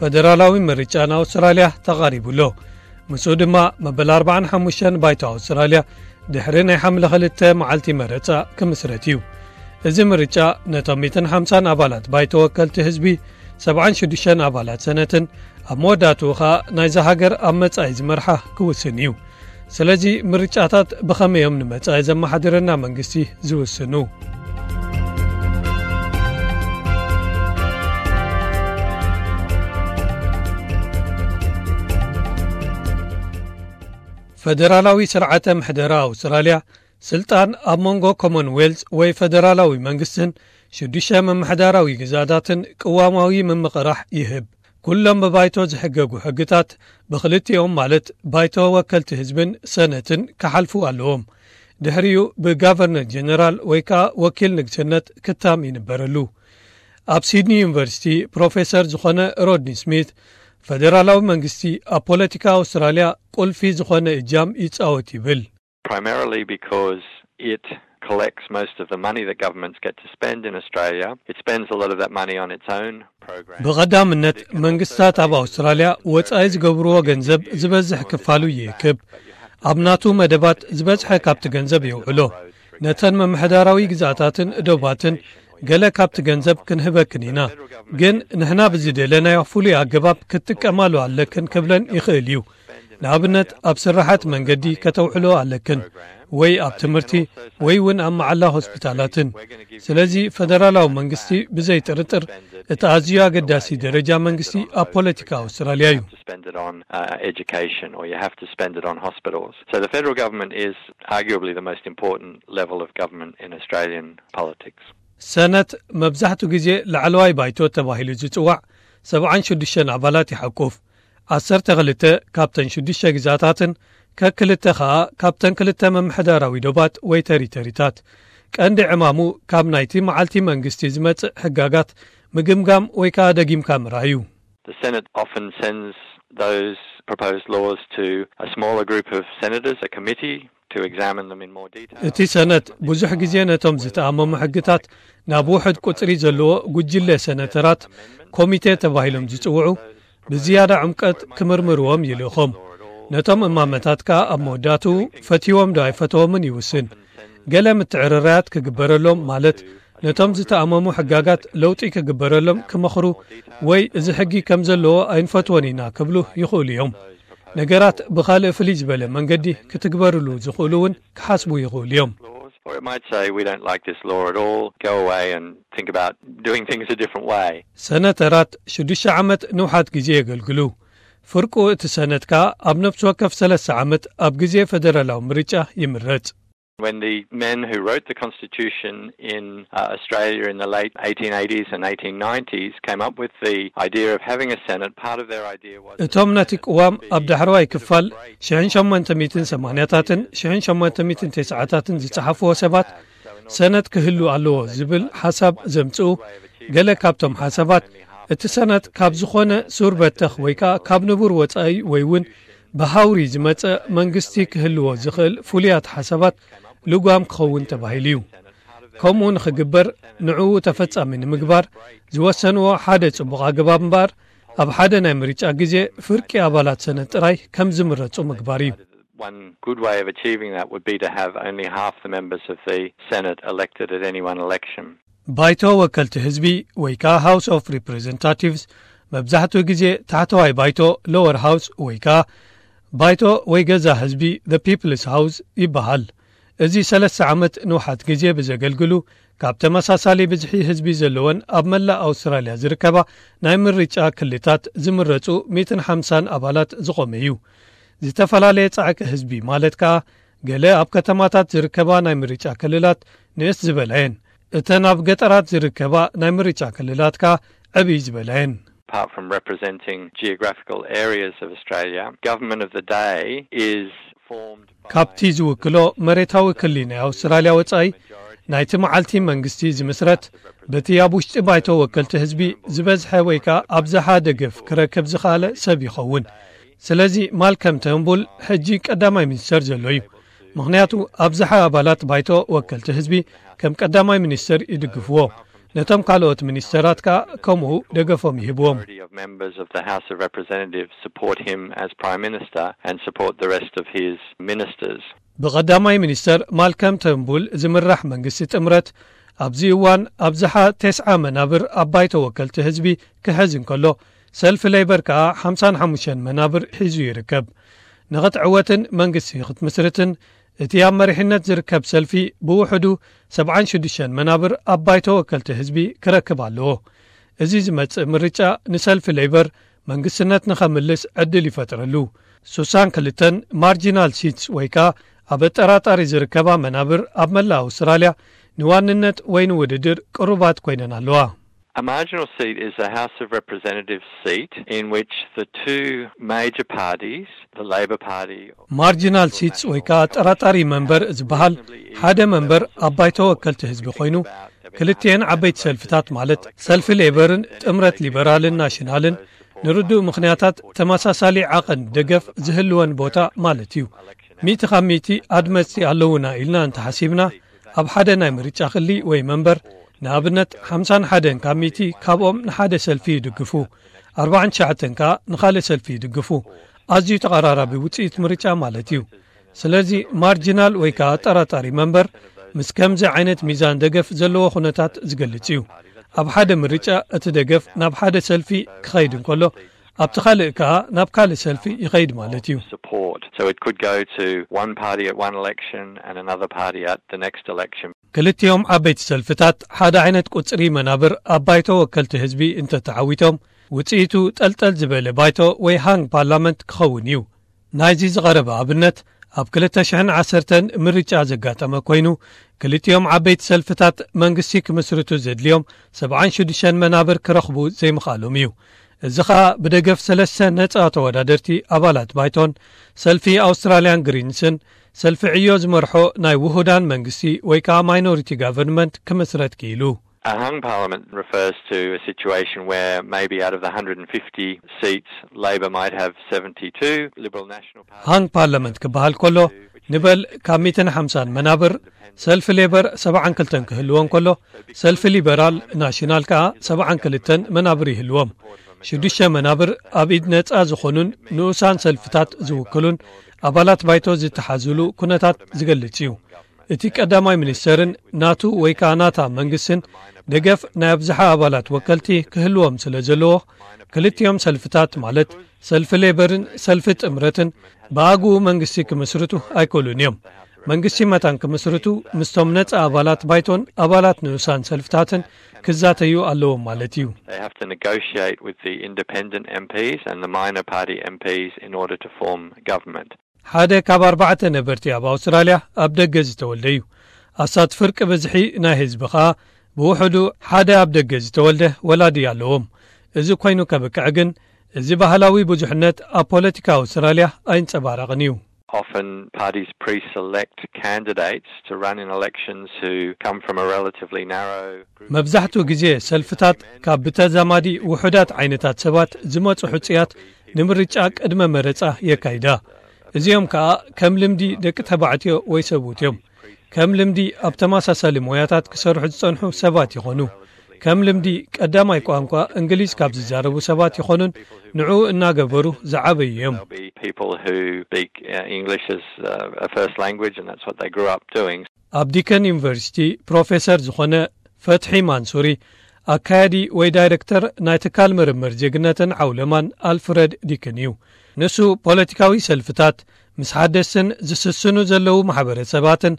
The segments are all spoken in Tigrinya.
ፈደራላዊ ምርጫ ንኣውስትራልያ ተቓሪቡ ኣሎ። ምስኡ ድማ መበል ኣርባዓን ሓሙሽተን ባይቶ ኣውስትራልያ ድሕሪ ናይ ሓምለ ክልተ መዓልቲ መረጻ ክምስረት እዩ። እዚ ምርጫ ነቶም ሚእትን ሓምሳን ኣባላት ባይቶ ወከልቲ ህዝቢ፣ ሰብዓን ሽዱሽተን ኣባላት ሰነትን ኣብ መወዳእትኡ ኸኣ ናይዛ ሃገር ኣብ መጻኢ ዝመርሓ ክውስን እዩ። ስለዚ ምርጫታት ብኸመይ እዮም ንመጻኢ ዘመሓድረና መንግስቲ ዝውስኑ? ፈደራላዊ ስርዓተ ምሕደራ ኣውስትራልያ ስልጣን ኣብ መንጎ ኮመንዌልዝ ወይ ፈደራላዊ መንግስትን ሽዱሽተ ምምሕዳራዊ ግዛታትን ቅዋማዊ ምምቕራሕ ይህብ። ኩሎም ብባይቶ ዝሕገጉ ሕግታት ብክልቲኦም ማለት ባይቶ ወከልቲ ህዝብን ሰነትን ክሓልፉ ኣለዎም። ድሕሪኡ ብጋቨርነር ጀነራል ወይ ከኣ ወኪል ንግስነት ክታም ይንበረሉ። ኣብ ሲድኒ ዩኒቨርሲቲ ፕሮፌሰር ዝኾነ ሮድኒ ስሚት፣ ፈደራላዊ መንግስቲ ኣብ ፖለቲካ ኣውስትራልያ ቁልፊ ዝኾነ እጃም ይጻወት ይብል። Primarily because it collects most of the money that governments get to spend in Australia. It spends a lot of that money on its own program. ብቐዳምነት መንግስታት ኣብ ኣውስትራልያ ወጻኢ ዝገብርዎ ገንዘብ ዝበዝሕ ክፋሉ ይእክብ። ኣብ ናቱ መደባት ዝበዝሐ ካብቲ ገንዘብ የውዕሎ። ነተን ምምሕዳራዊ ግዛታትን ዶባትን ገለ ካብቲ ገንዘብ ክንህበክን ኢና፣ ግን ንሕና ብዝደለናዮ ፍሉይ ኣገባብ ክትጥቀማሉ ኣለክን ክብለን ይኽእል እዩ። ንኣብነት ኣብ ስራሓት መንገዲ ከተውዕሎ ኣለክን፣ ወይ ኣብ ትምህርቲ፣ ወይ እውን ኣብ መዓላ ሆስፒታላትን። ስለዚ ፈደራላዊ መንግስቲ ብዘይ ጥርጥር እቲ ኣዝዩ ኣገዳሲ ደረጃ መንግስቲ ኣብ ፖለቲካ ኣውስትራልያ እዩ። To spend it on uh, education, or you have to spend it on hospitals. So the federal government is arguably the most important level of government in Australian politics. ሰነት መብዛሕቱ ግዜ ላዕለዋይ ባይቶ ተባሂሉ ዝጽዋዕ ሰብዓን ሽዱሽተን ኣባላት ይሓቁፍ። ዓሰርተ ክልተ ካብተን ሽዱሽተ ግዛታትን ከክልተ ኸኣ ካብተን ክልተ ምምሕዳራዊ ዶባት ወይ ተሪተሪታት። ቀንዲ ዕማሙ ካብ ናይቲ መዓልቲ መንግስቲ ዝመጽእ ሕጋጋት ምግምጋም ወይ ከኣ ደጊምካ ምርኣይ እዩ። The Senate often sends those proposed laws to a smaller group of senators, a committee, to examine them in more detail. እቲ ሰነት ብዙሕ ግዜ ነቶም ዝተኣመሙ ሕግታት ናብ ውሑድ ቁጽሪ ዘለዎ ጉጅለ ሰነተራት ኮሚቴ ተባሂሎም ዝጽውዑ ብዝያዳ ዕምቀት ክምርምርዎም ይልእኾም። ነቶም እማመታት ከኣ ኣብ መወዳእትኡ ፈትዎም ዶ ኣይፈተዎምን ይውስን። ገለ ምትዕርራያት ክግበረሎም ማለት ነቶም ዝተኣመሙ ሕጋጋት ለውጢ ክግበረሎም ክመኽሩ ወይ እዚ ሕጊ ከም ዘለዎ ኣይንፈትዎን ኢና ክብሉ ይኽእሉ እዮም። ነገራት ብኻልእ ፍልይ ዝበለ መንገዲ ክትግበርሉ ዝኽእሉ እውን ክሓስቡ ይኽእሉ እዮም። Or it might say, we don't like this law at all, go away and think about doing things a different way. ሰነተራት ሽዱሽተ ዓመት ንውሓት ግዜ የገልግሉ። ፍርቁ እቲ ሰነት ከኣ ኣብ ነፍሲ ወከፍ ሰለስተ ዓመት ኣብ ግዜ ፈደራላዊ ምርጫ ይምረጽ። When the men who wrote the Constitution in uh, Australia in the late eighteen eighties and eighteen nineties came up with the idea of having a Senate, part of their idea was እቶም ነቲ ቅዋም ኣብ ዳሕረዋይ ክፋል ሽሕን ሸሞንተ ሚእትን ሰማንያታትን ሽሕን ሸሞንተ ሚእትን ተስዓታትን ዝጸሓፍዎ ሰባት ሰነት ክህሉ ኣለዎ ዝብል ሓሳብ ዘምጽኡ ገለ ካብቶም ሓሳባት እቲ ሰነት ካብ ዝኾነ ሱር በተኽ ወይ ከኣ ካብ ንቡር ወጻኢ ወይ እውን ብሃውሪ ዝመጸ መንግስቲ ክህልዎ ዝኽእል ፍሉያት ሓሳባት ልጓም ክኸውን ተባሂሉ እዩ። ከምኡ ንኽግበር ንዕኡ ተፈጻሚ ንምግባር ዝወሰንዎ ሓደ ጽቡቕ ኣገባብ እምበኣር ኣብ ሓደ ናይ ምርጫ ግዜ ፍርቂ ኣባላት ሰነት ጥራይ ከም ዝምረጹ ምግባር እዩ። One good way of achieving that would be to have only half the members of the Senate elected at any one election. ባይቶ ወከልቲ ህዝቢ ወይ ከኣ House of Representatives መብዛሕትኡ ግዜ ታሕተዋይ ባይቶ፣ lower house፣ ወይ ከኣ ባይቶ ወይ ገዛ ህዝቢ፣ the People's House፣ ይበሃል። እዚ ሰለስተ ዓመት ንውሓት ግዜ ብዘገልግሉ ካብ ተመሳሳሊ ብዝሒ ህዝቢ ዘለወን ኣብ መላእ ኣውስትራልያ ዝርከባ ናይ ምርጫ ክልታት ዝምረጹ ሚእትን ሓምሳን ኣባላት ዝቖመ እዩ። ዝተፈላለየ ጻዕቂ ህዝቢ ማለት ከኣ ገለ ኣብ ከተማታት ዝርከባ ናይ ምርጫ ክልላት ንእስ ዝበላ እየን። እተን ኣብ ገጠራት ዝርከባ ናይ ምርጫ ክልላት ከኣ ዕብይ ዝበላ እየን። Apart from representing geographical areas of Australia, government of the day is formed by ካብቲ ዝውክሎ መሬታዊ ክሊ ናይ ኣውስትራልያ ወጻኢ ናይቲ መዓልቲ መንግስቲ ዝምስረት በቲ ኣብ ውሽጢ ባይቶ ወከልቲ ህዝቢ ዝበዝሐ ወይ ከኣ ኣብዝሓ ደገፍ ክረክብ ዝኸኣለ ሰብ ይኸውን። ስለዚ ማልከም ተርንቡል ሕጂ ቀዳማይ ሚኒስተር ዘሎ እዩ። ምኽንያቱ ኣብዝሓ ኣባላት ባይቶ ወከልቲ ህዝቢ ከም ቀዳማይ ሚኒስተር ይድግፍዎ። ነቶም ካልኦት ሚኒስተራት ከኣ ከምኡ ደገፎም ይህብዎም። Majority of members of the House of Representatives support him as Prime Minister and support the rest of his ministers. ብቐዳማይ ሚኒስተር ማልከም ተንቡል ዝምራሕ መንግስቲ ጥምረት ኣብዚ እዋን ኣብዝሓ ተስዓ መናብር ኣብ ባይቶ ወከልቲ ህዝቢ ክሕዝ እንከሎ፣ ሰልፊ ሌበር ከኣ ሓምሳን ሓሙሽተን መናብር ሒዙ ይርከብ። ንኽትዕወትን መንግስቲ ክትምስርትን እቲ ኣብ መሪሕነት ዝርከብ ሰልፊ ብውሕዱ ሰብዓን ሽዱሽተን መናብር ኣብ ባይቶ ወከልቲ ህዝቢ ክረክብ ኣለዎ። እዚ ዝመጽእ ምርጫ ንሰልፊ ሌበር መንግስትነት ንኸምልስ ዕድል ይፈጥረሉ። ሱሳን ክልተን ማርጂናል ሲትስ ወይ ከኣ ኣብ ኣጠራጣሪ ዝርከባ መናብር ኣብ መላእ ኣውስትራልያ ንዋንነት ወይ ንውድድር ቅሩባት ኮይነን ኣለዋ። A marginal seat is a House of Representatives seat in which the two major parties, the Labor Party, ማርጂናል ሲትስ ወይ ከኣ ኣጠራጣሪ መንበር ዝበሃል ሓደ መንበር ኣብ ባይቶ ወከልቲ ህዝቢ ኮይኑ፣ ክልቲኤን ዓበይቲ ሰልፍታት ማለት ሰልፊ ሌበርን ጥምረት ሊበራልን ናሽናልን ንርዱእ ምኽንያታት ተመሳሳሊ ዓቐን ደገፍ ዝህልወን ቦታ ማለት እዩ። ሚእቲ ካብ ሚእቲ ኣድመፅቲ ኣለዉና ኢልና እንተሓሲብና፣ ኣብ ሓደ ናይ ምርጫ ክሊ ወይ መንበር ንኣብነት ሓምሳን ሓደን ካብ ሚእቲ ካብኦም ንሓደ ሰልፊ ይድግፉ፣ ኣርባዓን ትሽዓተን ከኣ ንኻልእ ሰልፊ ይድግፉ። ኣዝዩ ተቐራራቢ ውፅኢት ምርጫ ማለት እዩ። ስለዚ ማርጂናል ወይ ከኣ ኣጠራጣሪ መንበር ምስ ከምዚ ዓይነት ሚዛን ደገፍ ዘለዎ ኩነታት ዝገልጽ እዩ። ኣብ ሓደ ምርጫ እቲ ደገፍ ናብ ሓደ ሰልፊ ክኸይድ እንከሎ፣ ኣብቲ ካልእ ከኣ ናብ ካልእ ሰልፊ ይኸይድ ማለት እዩ። Support. So it could go to one party at one election and another party at the next election. ክልቲኦም ዓበይቲ ሰልፍታት ሓደ ዓይነት ቁጽሪ መናብር ኣብ ባይቶ ወከልቲ ህዝቢ እንተተዓዊቶም፣ ውጽኢቱ ጠልጠል ዝበለ ባይቶ ወይ ሃንግ ፓርላመንት ክኸውን እዩ። ናይዚ ዝቐረበ ኣብነት ኣብ ክልተ ሽሕን ዓሰርተን ምርጫ ዘጋጠመ ኮይኑ፣ ክልቲኦም ዓበይቲ ሰልፍታት መንግስቲ ክምስርቱ ዘድልዮም ሰብዓን ሽዱሽተን መናብር ክረኽቡ ዘይምኽኣሎም እዩ። እዚ ኸኣ ብደገፍ ሰለስተ ነጻ ተወዳደርቲ ኣባላት ባይቶን ሰልፊ ኣውስትራልያን ግሪንስን ሰልፊ ዕዮ ዝመርሖ ናይ ውሁዳን መንግስቲ ወይ ከኣ ማይኖሪቲ ጋቨርንመንት ክምስረት ክኢሉ። A hung parliament refers to a situation where maybe out of the one hundred fifty seats, Labor might have seventy-two, Liberal National Party. ሃንግ ፓርላመንት ክበሃል ከሎ፣ ንበል ካብ ሚእትን ሓምሳን መናብር ሰልፊ ሌበር ሰብዓን ክልተን ክህልዎ እንከሎ፣ ሰልፊ ሊበራል ናሽናል ከኣ ሰብዓን ክልተን መናብር ይህልዎም። ሽዱሽተ መናብር ኣብ ኢድ ነጻ ዝኾኑን ንኡሳን ሰልፍታት ዝውክሉን ኣባላት ባይቶ ዝተሓዙሉ ኩነታት ዝገልጽ እዩ። እቲ ቀዳማይ ሚኒስተርን ናቱ ወይ ከኣ ናታ መንግስትን ደገፍ ናይ ኣብዝሓ ኣባላት ወከልቲ ክህልዎም ስለ ዘለዎ፣ ክልቲኦም ሰልፍታት ማለት ሰልፊ ሌበርን ሰልፊ ጥምረትን ብኣግኡ መንግስቲ ክምስርቱ ኣይክእሉን እዮም። መንግስቲ መታን ክምስርቱ ምስቶም ነጻ ኣባላት ባይቶን ኣባላት ንኡሳን ሰልፍታትን ክዛተዩ ኣለዎም ማለት እዩ። They have to negotiate with the independent M Ps and the minor party M Ps in order to form government. ሓደ ካብ ኣርባዕተ ነበርቲ ኣብ ኣውስትራልያ ኣብ ደገ ዝተወልደ እዩ። ኣስታት ፍርቂ ብዝሒ ናይ ህዝቢ ኸኣ ብውሕዱ ሓደ ኣብ ደገ ዝተወልደ ወላዲ ኣለዎም። እዚ ኮይኑ ከብቅዕ ግን፣ እዚ ባህላዊ ብዙሕነት ኣብ ፖለቲካ ኣውስትራልያ ኣይንጸባረቕን እዩ። Often parties pre-select candidates to run in elections who come from a relatively narrow group. መብዛሕትኡ ግዜ ሰልፍታት ካብ ብተዛማዲ ውሑዳት ዓይነታት ሰባት ዝመጹ ሕጹያት ንምርጫ ቅድመ መረጻ የካይዳ። እዚኦም ከኣ ከም ልምዲ ደቂ ተባዕትዮ ወይ ሰብኡት እዮም። ከም ልምዲ ኣብ ተመሳሳሊ ሞያታት ክሰርሑ ዝጸንሑ ሰባት ይኾኑ። ከም ልምዲ ቀዳማይ ቋንቋ እንግሊዝ ካብ ዝዛረቡ ሰባት ይኾኑን ንዕኡ እናገበሩ ዝዓበዩ እዮም። There'll be people who speak uh, English as uh, a first language, and that's what they grew up doing. ኣብ ዲከን ዩኒቨርሲቲ ፕሮፌሰር ዝኾነ ፈትሒ ማንሱሪ፣ ኣካያዲ ወይ ዳይረክተር ናይ ትካል ምርምር ዜግነትን ዓውለማን ኣልፍረድ ዲክን እዩ። ንሱ ፖለቲካዊ ሰልፍታት ምስ ሓደስትን ዝስስኑ ዘለዉ ማሕበረሰባትን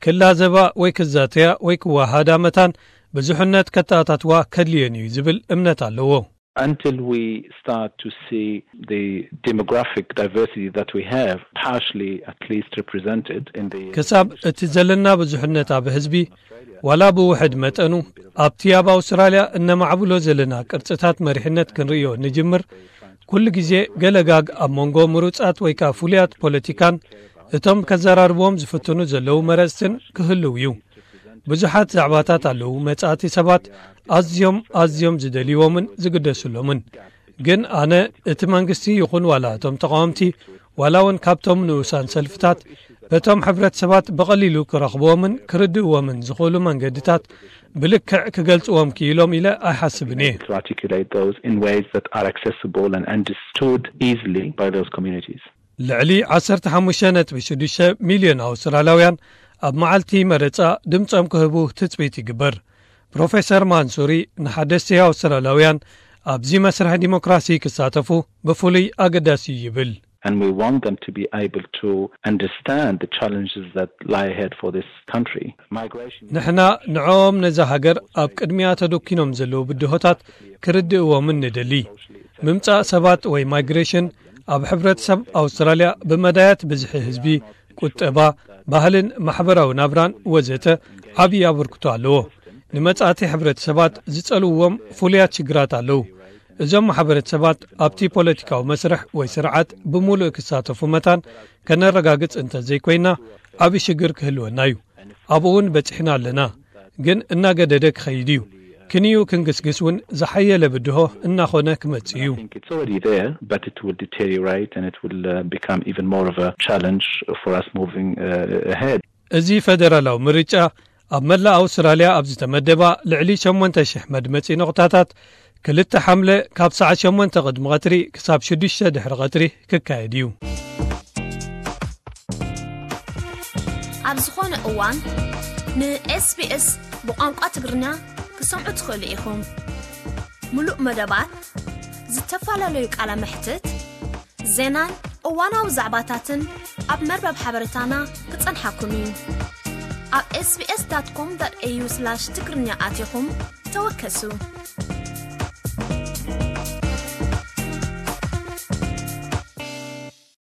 ክላዘባ ወይ ክዛተያ ወይ ክወሃዳ መታን ብዙሕነት ከተኣታትዋ ከድልየን እዩ ዝብል እምነት ኣለዎ። Until we start to see the demographic diversity that we have partially at least represented in the ክሳብ እቲ ዘለና ብዙሕነት ኣብ ህዝቢ ዋላ ብውሕድ መጠኑ ኣብቲ ኣብ ኣውስትራልያ እነማዕብሎ ዘለና ቅርጽታት መሪሕነት ክንርእዮ ንጅምር፣ ኩሉ ግዜ ገለጋግ ኣብ መንጎ ምሩጻት ወይ ከኣ ፍሉያት ፖለቲካን እቶም ከዘራርብዎም ዝፍትኑ ዘለዉ መረጽትን ክህልው እዩ። ብዙሓት ዛዕባታት ኣለዉ፣ መጻእቲ ሰባት ኣዝዮም ኣዝዮም ዝደልይዎምን ዝግደስሎምን። ግን ኣነ እቲ መንግስቲ ይኹን ዋላ እቶም ተቓወምቲ፣ ዋላ እውን ካብቶም ንኡሳን ሰልፍታት በቶም ሕብረተሰባት ብቐሊሉ ክረኽብዎምን ክርድእዎምን ዝኽእሉ መንገድታት ብልክዕ ክገልጽዎም ክኢሎም ኢለ ኣይሓስብን እየ። To articulate those in ways that are accessible and understood easily by those communities. ልዕሊ ዓሰርተ ሓሙሽተ ነጥቢ ሽዱሽተ ሚልዮን ኣውስትራልያውያን ኣብ መዓልቲ መረጻ ድምጾም ክህቡ ትጽቢት ይግበር። ፕሮፌሰር ማንሱሪ ንሓደስቲ ኣውስትራልያውያን ኣብዚ መስርሕ ዲሞክራሲ ክሳተፉ ብፍሉይ ኣገዳሲ እዩ ይብል። And we want them to be able to understand the challenges that lie ahead for this country. Migration. ንሕና ንዕኦም ነዛ ሃገር ኣብ ቅድሚያ ተደኪኖም ዘለዉ ብድሆታት ክርድእዎምን ንደሊ። ምምጻእ ሰባት ወይ ማይግሬሽን ኣብ ሕብረተሰብ ኣውስትራልያ ብመዳያት ብዝሒ ህዝቢ፣ ቁጠባ፣ ባህልን ማሕበራዊ ናብራን ወዘተ ዓብዪ ኣበርክቶ ኣለዎ። ንመጻእቲ ሕብረተሰባት ዝጸልውዎም ፍሉያት ሽግራት ኣለዉ። እዞም ማሕበረተሰባት ኣብቲ ፖለቲካዊ መስርሕ ወይ ስርዓት ብምሉእ ክሳተፉ መታን ከነረጋግጽ እንተዘይኮይና ዓቢ ሽግር ክህልወና እዩ። ኣብኡ እውን በጺሕና ኣለና። ግን እናገደደ ክኸይድ እዩ። ክንዩ ክንግስግስ እውን ዝሓየለ ብድሆ እናኾነ ክመጽእ እዩ። I think it's already there, but it will deteriorate and it will uh, become even more of a challenge for us moving uh, ahead. እዚ ፈደራላዊ ምርጫ ኣብ መላእ ኣውስትራልያ ኣብ ዝተመደባ ልዕሊ ሸሞንተ ሽሕ መድመጺ ነቑጣታት ክልተ ሓምለ ካብ ሰዓት ሸሞንተ ቅድሚ ቀትሪ ክሳብ ሽዱሽተ ድሕሪ ቀትሪ ክካየድ እዩ። ኣብ ዝኾነ እዋን ን SBS ብቋንቋ ትግርኛ ክሰምዑ ትኽእሉ ኢኹም። ሙሉእ መደባት፣ ዝተፈላለዩ ቃለ መሕትት፣ ዜናን እዋናዊ ዛዕባታትን ኣብ መርበብ ሓበሬታና ክጸንሓኩም እዩ። ኣብ sbs.com.au/tigrinya ኣቲኹም ተወከሱ።